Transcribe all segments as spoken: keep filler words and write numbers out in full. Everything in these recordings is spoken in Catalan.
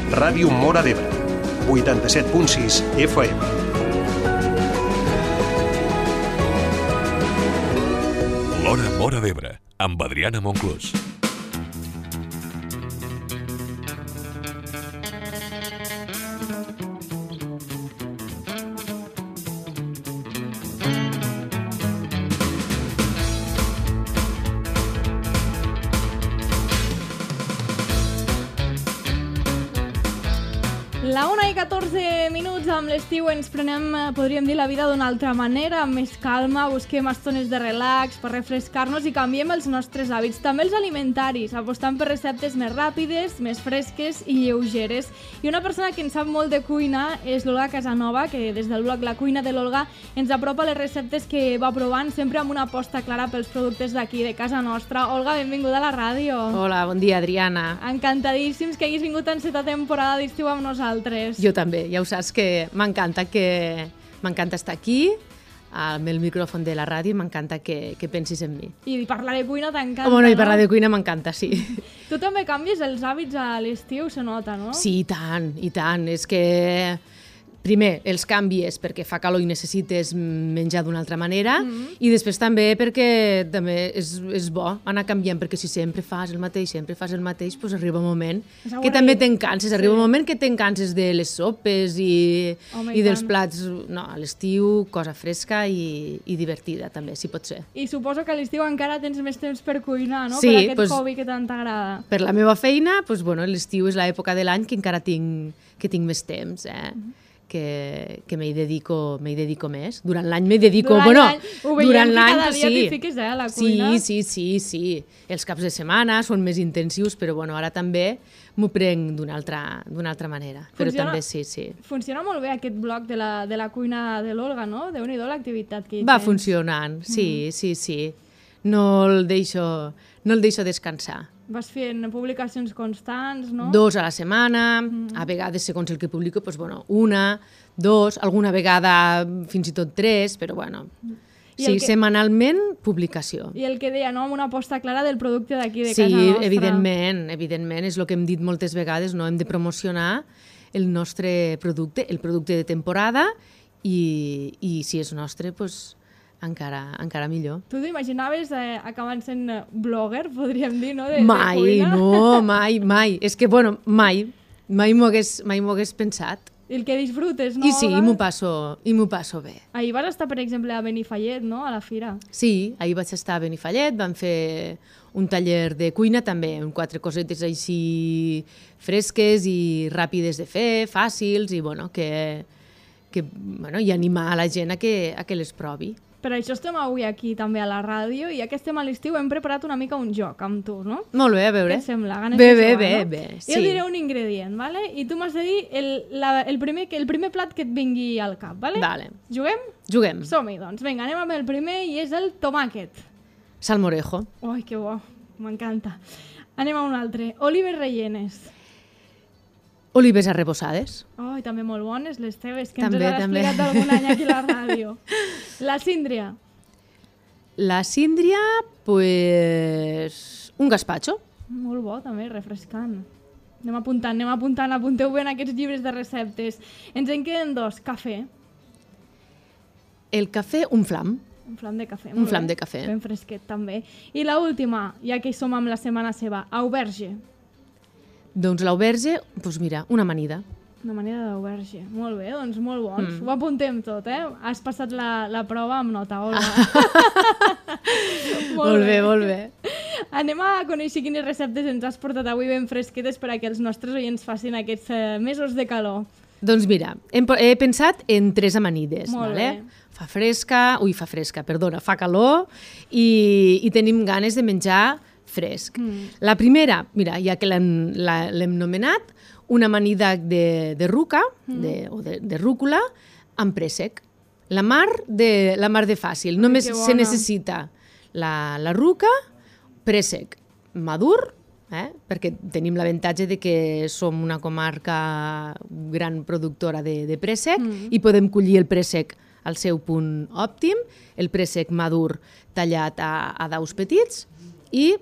Ràdio Móra d'Ebre, vuitanta-set punt sis F M. L'Hora Móra d'Ebre, amb Adriana Monclús. La una i catorze minuts, amb l'estiu ens prenem, podríem dir, la vida d'una altra manera, amb més calma, busquem estones de relax per refrescar-nos i canviem els nostres hàbits, també els alimentaris, apostant per receptes més ràpides, més fresques i lleugeres. I una persona que en sap molt de cuina és l'Olga Casanova, que des del blog La Cuina de l'Olga ens apropa les receptes que va provant, sempre amb una aposta clara pels productes d'aquí, de casa nostra. Olga, benvinguda a la ràdio. Hola, bon dia, Adriana. Encantadíssims que hagis vingut en aquesta temporada d'estiu amb nosaltres. Jo també, ja ho saps que m'encanta que m'encanta estar aquí amb el micròfon de la ràdio, m'encanta que, que pensis en mi. I parlar de cuina t'encanta, oh, bueno, no? I parlar de cuina m'encanta, sí. Tu també canvies els hàbits a l'estiu, se nota, no? Sí, i tant, i tant. És que primer, els canvies perquè fa calor i necessites menjar d'una altra manera, mm-hmm. i després també perquè també és, és bo anar canviant, perquè si sempre fas el mateix, sempre fas el mateix, doncs arriba un moment que també te'n canses, sí. Arriba un moment que te'n canses de les sopes i, Home, i, i dels plats. No, a l'estiu, cosa fresca i, i divertida també, si pot ser. I suposo que a l'estiu encara tens més temps per cuinar, no? Sí, per aquest pues, hobby que tant t'agrada. Per la meva feina, pues, bueno, l'estiu és l'època de l'any que encara tinc, que tinc més temps, eh? Mm-hmm. que, que m'hi dedico, m'hi dedico més. Durant l'any m'hi dedico... Durant bueno, l'any, ho veiem que cada dia sí. t'hi fiques, eh, a la cuina. Sí, sí, sí, sí. Els caps de setmana són més intensius, però bueno, ara també m'ho prenc d'una altra, d'una altra manera. Funciona, però també sí, sí. Funciona molt bé aquest blog de la, de la cuina de l'Olga, no? Déu-n'hi-do l'activitat que hi Va tens. funcionant, sí, mm. sí, sí. No el deixo, no el deixo descansar. Vas fent publicacions constants, no? Dos a la setmana, mm. a vegades, segons el que publico, doncs, bueno, una, dos, alguna vegada fins i tot tres, però bueno, I sí, que... setmanalment publicació. I el que deia, no?, amb una aposta clara del producte d'aquí, de sí, casa nostra. Sí, evidentment, evidentment, és el que hem dit moltes vegades, no? Hem de promocionar el nostre producte, el producte de temporada, i, i si és nostre, doncs... Encara, encara millor. Tu t'imaginaves eh, acabant sent blogger, podríem dir, no? De, mai, de cuina? no, mai, mai. És que, bueno, mai, mai m'ho hagués, mai m'ho hagués pensat. I el que disfrutes, no? I sí, i m'ho passo, i m'ho passo bé. Ahir vas estar, per exemple, a Benifallet, no?, a la fira. Sí, ahir vaig estar a Benifallet, vam fer un taller de cuina també, amb quatre cosetes així fresques i ràpides de fer, fàcils, i bueno, que, que bueno, i animar a la gent a que, a que les provi. Per això estem avui aquí també a la ràdio, i ja que estem a l'estiu hem preparat una mica un joc amb tu, no? Molt bé, a veure. Què et sembla? Ganes bé, de bé, jugar, bé, no? bé, sí. Jo diré un ingredient, vale? I tu m'has de dir el, la, el, primer, el primer plat que et vingui al cap, vale? Vale. Juguem? Juguem. Som-hi, doncs. Vinga, anem amb el primer, i és el tomàquet. Salmorejo. Ai, que bo, m'encanta. Anem a un altre. Olives rellenes. Olives arrebossades. Oh, i també molt bones les teves, que també, ens has també. explicat d'algun any aquí a la ràdio. La síndria. La síndria, pues... un gazpacho. Molt bo, també, refrescant. Anem apuntant, anem apuntant, apunteu bé en aquests llibres de receptes. Ens en queden dos. Cafè. El cafè, un flam. Un flam de cafè. Un flam de cafè. Ben fresquet, també. I la última, ja que hi som amb la setmana seva, auberge. Doncs l'auberge, doncs mira, una amanida. Una manera d'auberge. Molt bé, doncs molt bons. Mm. Ho apuntem tot, eh? Has passat la, la prova amb nota, Olga. molt, molt bé, bé, molt bé. Anem a conèixer quines receptes ens has portat avui ben fresquetes per a que els nostres oients facin aquests eh, mesos de calor. Doncs mira, hem, he pensat en tres amanides. Molt vale? bé. Fa fresca, ui, fa fresca, perdona, fa calor i, i tenim ganes de menjar fresc. Mm. La primera, mira, ja que l'hem nomenat, una amanida de, de ruca, mm. de, o de, de rúcula, amb préssec. La mar de, la mar de fàcil. Ai, només se necessita la, la ruca, préssec madur, eh? Perquè tenim l'avantatge de que som una comarca gran productora de, de préssec mm. i podem collir el préssec al seu punt òptim, el préssec madur tallat a, a daus petits i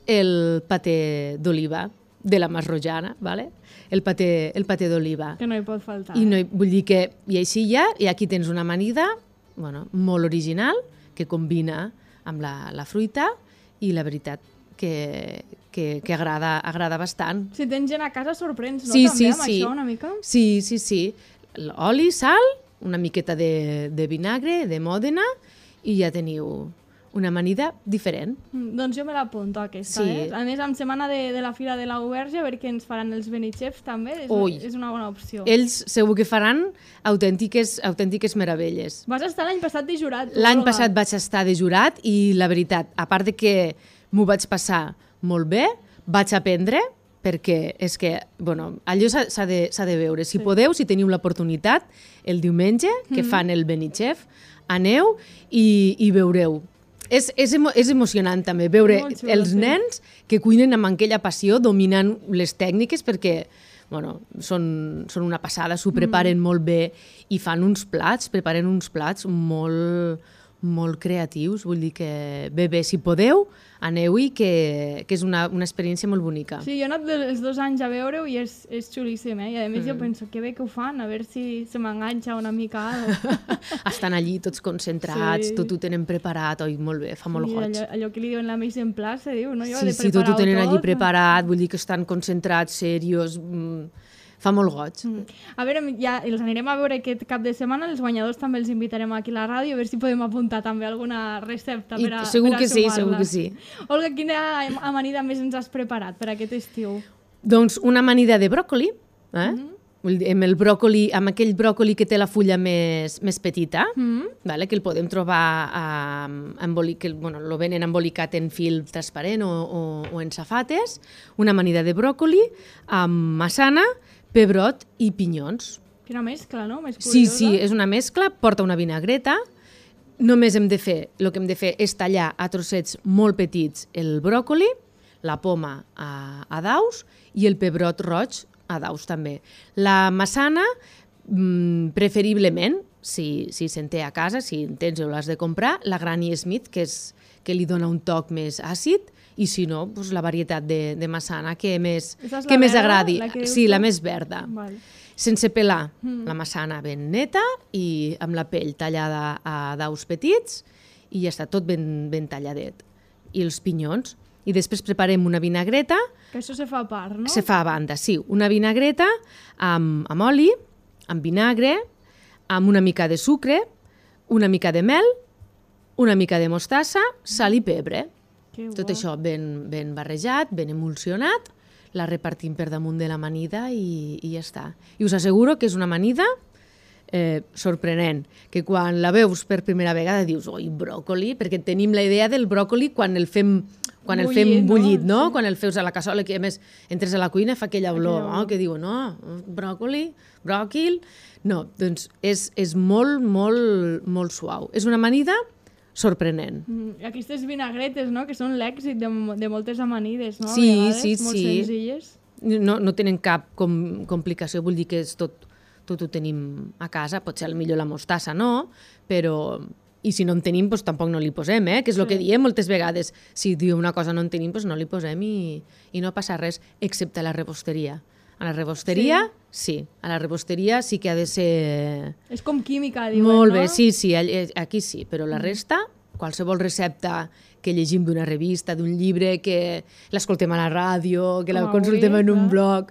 el paté d'oliva. de la masrojana, ¿vale? el paté, el paté d'oliva. Que no hi pot faltar. I no hi, vull dir que, i així ja, i aquí tens una amanida bueno, molt original, que combina amb la, la fruita, i la veritat que, que, que agrada, agrada bastant. Si tens gent a casa sorprens, no? Sí, També sí, amb sí. això una mica? Sí, sí, sí. Oli, sal, una miqueta de, de vinagre, de Mòdena, i ja teniu una amanida diferent. Mm, doncs jo me l'apunto aquesta, Sí. eh? A més, amb setmana de, de la Fira de la Uberge, a veure què ens faran els Benichefs també, és, Ui. és una bona opció. Ells segur que faran autèntiques, autèntiques meravelles. Vas estar l'any passat de jurat. tu, L'any Olga. passat vaig estar de jurat i la veritat, a part de que m'ho vaig passar molt bé, vaig aprendre, perquè és que, bueno, allò s'ha s'ha de, s'ha de veure. Si Sí. podeu, si teniu l'oportunitat, el diumenge, que fan el Benichef, aneu i, i veureu. És, és, emo, és emocionant també veure Molt xulo, els sí. nens que cuinen amb aquella passió, dominant les tècniques, perquè bueno, són, són una passada, s'ho preparen mm. molt bé i fan uns plats, preparen uns plats molt, molt creatius. Vull dir que bé, bé, si podeu, aneu-hi, que, que és una, una experiència molt bonica. Sí, jo he anat els dos anys a veure-ho i és, és xulíssim, eh? I a més mm. jo penso, que bé que ho fan, a veure si se m'enganxa una mica. Estan allí tots concentrats, Sí. tot ho tenen preparat, oi, molt bé, fa molt Sí, goig. allò, allò que li diuen la mise en place, se diu, no? Jo Sí, de sí, tot ho preparar-ho tenen allí tot. preparat, vull dir que estan concentrats, serios, mm, fa molt goig. Mm. A veure, ja els anirem a veure aquest cap de setmana, els guanyadors també els invitarem aquí a la ràdio, a veure si podem apuntar també alguna recepta I per a, segur per a que sí, sumar-la. segur que sí. Olga, quina amanida més ens has preparat per aquest estiu? Doncs una amanida de bròcoli, eh? Mm. Vull dir, amb el bròcoli, amb aquell bròcoli que té la fulla més, més petita, Mm. vale? Que el podem trobar a, emboli, que bueno, lo venen embolicat en fil transparent o, o, o en safates, una amanida de bròcoli amb massana, pebrot i pinyons. Quina mescla, no? Més Sí, curiosa. sí, és una mescla, porta una vinagreta, només hem de fer, el que hem de fer és tallar a trossets molt petits el bròcoli, la poma a, a daus i el pebrot roig a daus també. La massana, mmm, preferiblement, si, si se'n té a casa, si en tens o l'has de comprar, la Granny Smith, que, és, que li dona un toc més àcid, i si no, doncs la varietat de, de massana que més, Aquesta és la que més verda, agradi. la que dius Sí, tu? la més verda. Val. Sense pelar, Mm. la massana ben neta i amb la pell tallada a daus petits i ja està tot ben, ben talladet. I els pinyons. I després preparem una vinagreta, Que això se fa a part, no? se fa a banda, sí, una vinagreta amb, amb oli, amb vinagre, amb una mica de sucre, una mica de mel, una mica de mostassa, sal i pebre. Que Tot bo. això ben, ben barrejat, ben emulsionat, la repartim per damunt de l'amanida i, i ja està. I us asseguro que és una amanida eh, sorprenent, que quan la veus per primera vegada dius, oi, bròcoli, perquè tenim la idea del bròcoli quan el fem quan el Bullit, fem no? bullit, no? Sí. Quan el feus a la cassola, que a més entres a la cuina fa aquella olor, Aquella no? olor. Que diu, no, bròcoli, bròquil... No, doncs és, és molt, molt, molt suau. És una amanida sorprenent. Mm, i aquestes vinagretes, no?, que són l'èxit de, de moltes amanides, no? Sí, A vegades, sí, molt sí. senzilles. No, no tenen cap com, complicació, vull dir que és tot, tot ho tenim a casa, potser al millor la mostassa no, però... I si no en tenim, doncs tampoc no li posem, eh? que és el Sí. que diem moltes vegades. Si diu una cosa no en tenim, doncs no li posem i, i no passa res, excepte a la rebosteria. A la rebosteria, sí. sí. A la rebosteria sí que ha de ser... És com química, diuen, Molt no? bé, sí, sí, all- aquí sí, però la resta, qualsevol recepta que llegim d'una revista, d'un llibre, que l'escoltem a la ràdio, que la Com avui, consultem en un clar. blog,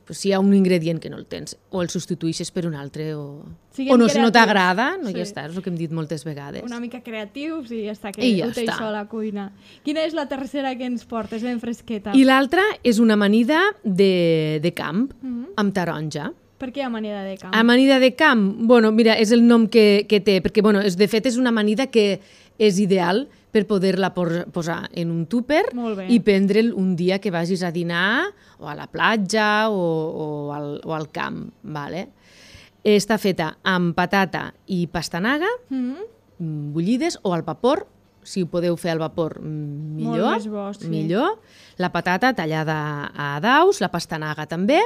pues, si hi ha un ingredient que no el tens, o el substitueixes per un altre, o, Siguem o no, si no creatius. t'agrada, no Sí. ja està, és el que hem dit moltes vegades. Una mica creatius i ja està, que I ja ho té està. això a la cuina. Quina és la tercera que ens portes, ben fresqueta? I l'altra és una amanida de, de camp, Mhm. amb taronja. Per què amanida de camp? Amanida de camp, bueno, mira, és el nom que, que té, perquè, bueno, és, de fet, és una amanida que és ideal per poder-la por, posar en un túper Molt bé. i prendre'l un dia que vagis a dinar o a la platja o, o, al, o al camp, vale? Està feta amb patata i pastanaga, Mhm. mm, bullides, o al vapor, si ho podeu fer al vapor, mm, millor. Molt més bo, sí. Millor. La patata tallada a daus, la pastanaga també,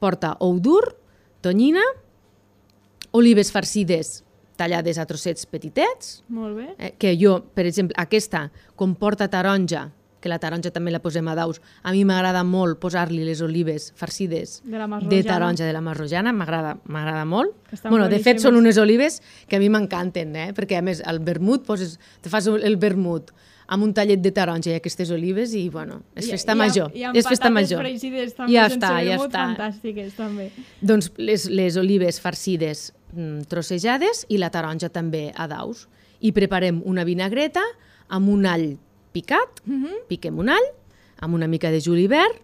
porta ou dur, tonyina, olives farcides tallades a trossets petitets, Molt bé. eh, que jo, per exemple, aquesta, com porta taronja, que la taronja també la posem a daus. A mi m'agrada molt posar-li les olives farcides De la de Masrojana. taronja de la Masrojana, m'agrada m'agrada molt. Que estan Bueno, de fet, boníssimes. són unes olives que a mi m'encanten, eh? Perquè a més, el vermut, poses, te fas el vermut amb un tallet de taronja i aquestes olives i, bueno, és festa I, major. I, i amb és festa patates major. fregides també, Ja sense està, ja vermut, està. fantàstiques també. Doncs les, les olives farcides mm, trossejades i la taronja també a daus. I preparem una vinagreta amb un all picat, Mm -hmm. piquem un all, amb una mica de julivert,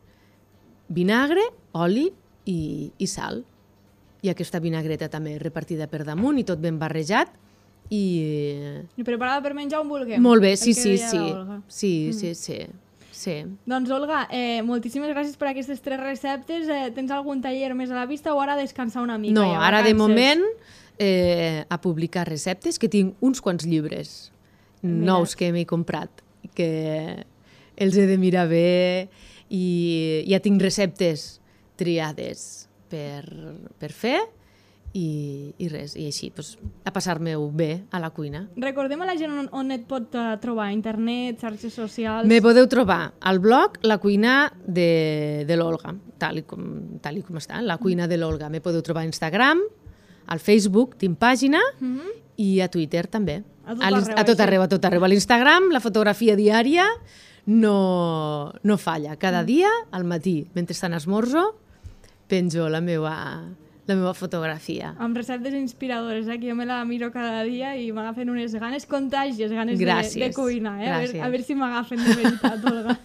vinagre, oli i, i sal. I aquesta vinagreta també repartida per damunt i tot ben barrejat. I... I preparada per menjar on vulguem. Molt bé, el sí, que sí, deia sí. la Olga. Sí, sí, sí. sí. Doncs, Olga, eh, moltíssimes gràcies per aquestes tres receptes. Eh, tens algun taller més a la vista o ara descansar una mica? No, ja, ara de vacances? moment eh, a publicar receptes, que tinc uns quants llibres nous que m'he comprat, que els he de mirar bé i ja tinc receptes triades per, per fer i, i res, i així, doncs, a passar-me-ho bé a la cuina. Recordem a la gent on, on et pot uh, trobar, internet, xarxes socials... Me podeu trobar al blog La cuina de, de l'Olga, tal, i com, tal i com està, La cuina de l'Olga. Me podeu trobar a Instagram, al Facebook, tinc pàgina, Mm -hmm. i a Twitter també. A tot A l'ins- arreu, a tot això. arreu, a tot arreu. A l'Instagram, la fotografia diària no, no falla. Cada dia, al matí, mentre estan esmorzo, penjo la meva, la meva fotografia. Amb receptes inspiradores, eh? Que jo me la miro cada dia i m'agafen unes ganes contàgies, ganes de, Gràcies. de cuinar, eh? A veure, Gràcies. a veure si m'agafen de veritat, Olga.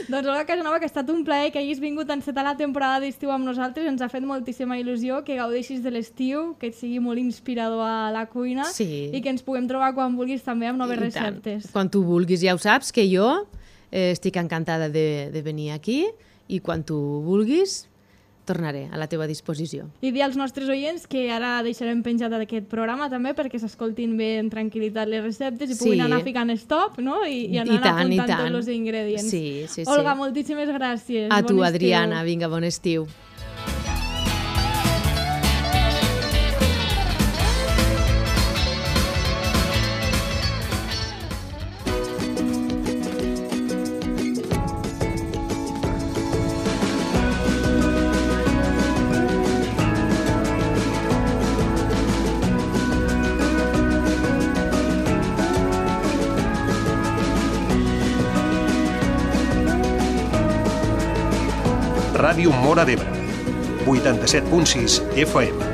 Doncs, Olga Casanova, que ha estat un plaer que hagis vingut a encetar la temporada d'estiu amb nosaltres. Ens ha fet moltíssima il·lusió que gaudeixis de l'estiu, que et sigui molt inspirador a la cuina Sí. i que ens puguem trobar quan vulguis també amb noves I tant. receptes. Quan tu vulguis, ja ho saps, que jo eh, estic encantada de, de venir aquí i quan tu vulguis tornaré a la teva disposició. I dir als nostres oients que ara deixarem penjat aquest programa també perquè s'escoltin bé en tranquil·litat les receptes i Sí. puguin anar ficant stop, no? I, i anar I tant, i apuntant tant. tots els ingredients. Sí, sí, sí. Olga, moltíssimes gràcies. A Bon tu, estiu. Adriana, vinga, bon estiu. Ràdio Móra d'Ebre, vuitanta-set punt sis F M.